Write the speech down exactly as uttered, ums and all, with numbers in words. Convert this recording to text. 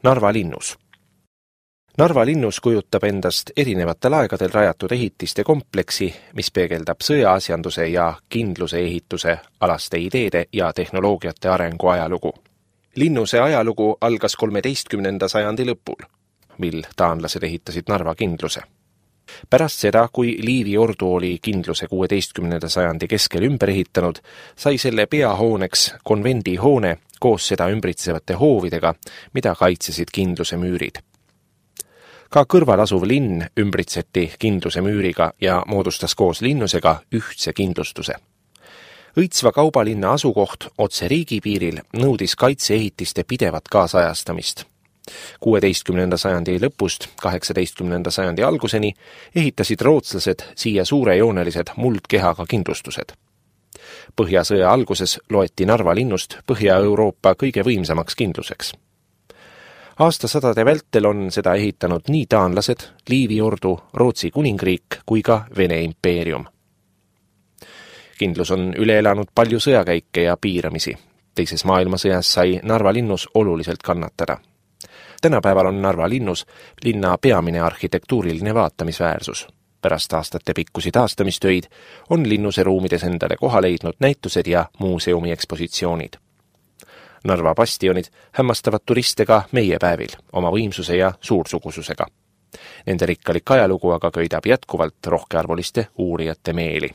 Narva linnus. Narva linnus kujutab endast erinevatel aegadel rajatud ehitiste kompleksi, mis peegeldab sõjaasjanduse ja kindluse ehituse alaste ideede ja tehnoloogiate arengu ajalugu. Linnuse ajalugu algas kolmeteistkümnenda sajandi lõpul, mil taanlased ehitasid Narva kindluse. Pärast seda, kui Liivi ordu oli kindluse kuueteistkümnenda sajandi keskel ümber ehitanud, sai selle peahooneks konvendi hoone koos seda ümbritsevate hoovidega, mida kaitsesid kindluse müürid. Ka kõrval asuv linn ümbritseti kindluse müüriga ja moodustas koos linnusega ühtse kindlustuse. Õitsva kaubalinna asukoht otse riigipiiril nõudis kaitseehitiste pidevat kaasajastamist. kuueteistkümnenda sajandi lõpust kaheksateistkümnenda sajandi alguseni ehitasid rootslased siia suurejoonelised muldkehaga kindlustused. Põhjasõja alguses loeti Narva linnust Põhja-Euroopa kõige võimsamaks kindluseks. Aastasadade vältel on seda ehitanud nii taanlased, Liivi ordu, Rootsi kuningriik kui ka Vene impeerium. Kindlus on üle elanud palju sõjakäike ja piiramisi. Teises maailmasõjas sai Narva linnus oluliselt kannatada. Tänapäeval on Narva linnus linna peamine arhitektuuriline vaatamisväärsus. Pärast aastate pikkusi taastamistöid on linnuse ruumides endale koha leidnud näitused ja muuseumi ekspositsioonid. Narva bastionid hämmastavad turiste ka meie päevil oma võimsuse ja suursugususega. Nende rikkalik ajalugu aga köidab jätkuvalt rohkearvuliste uurijate meeli.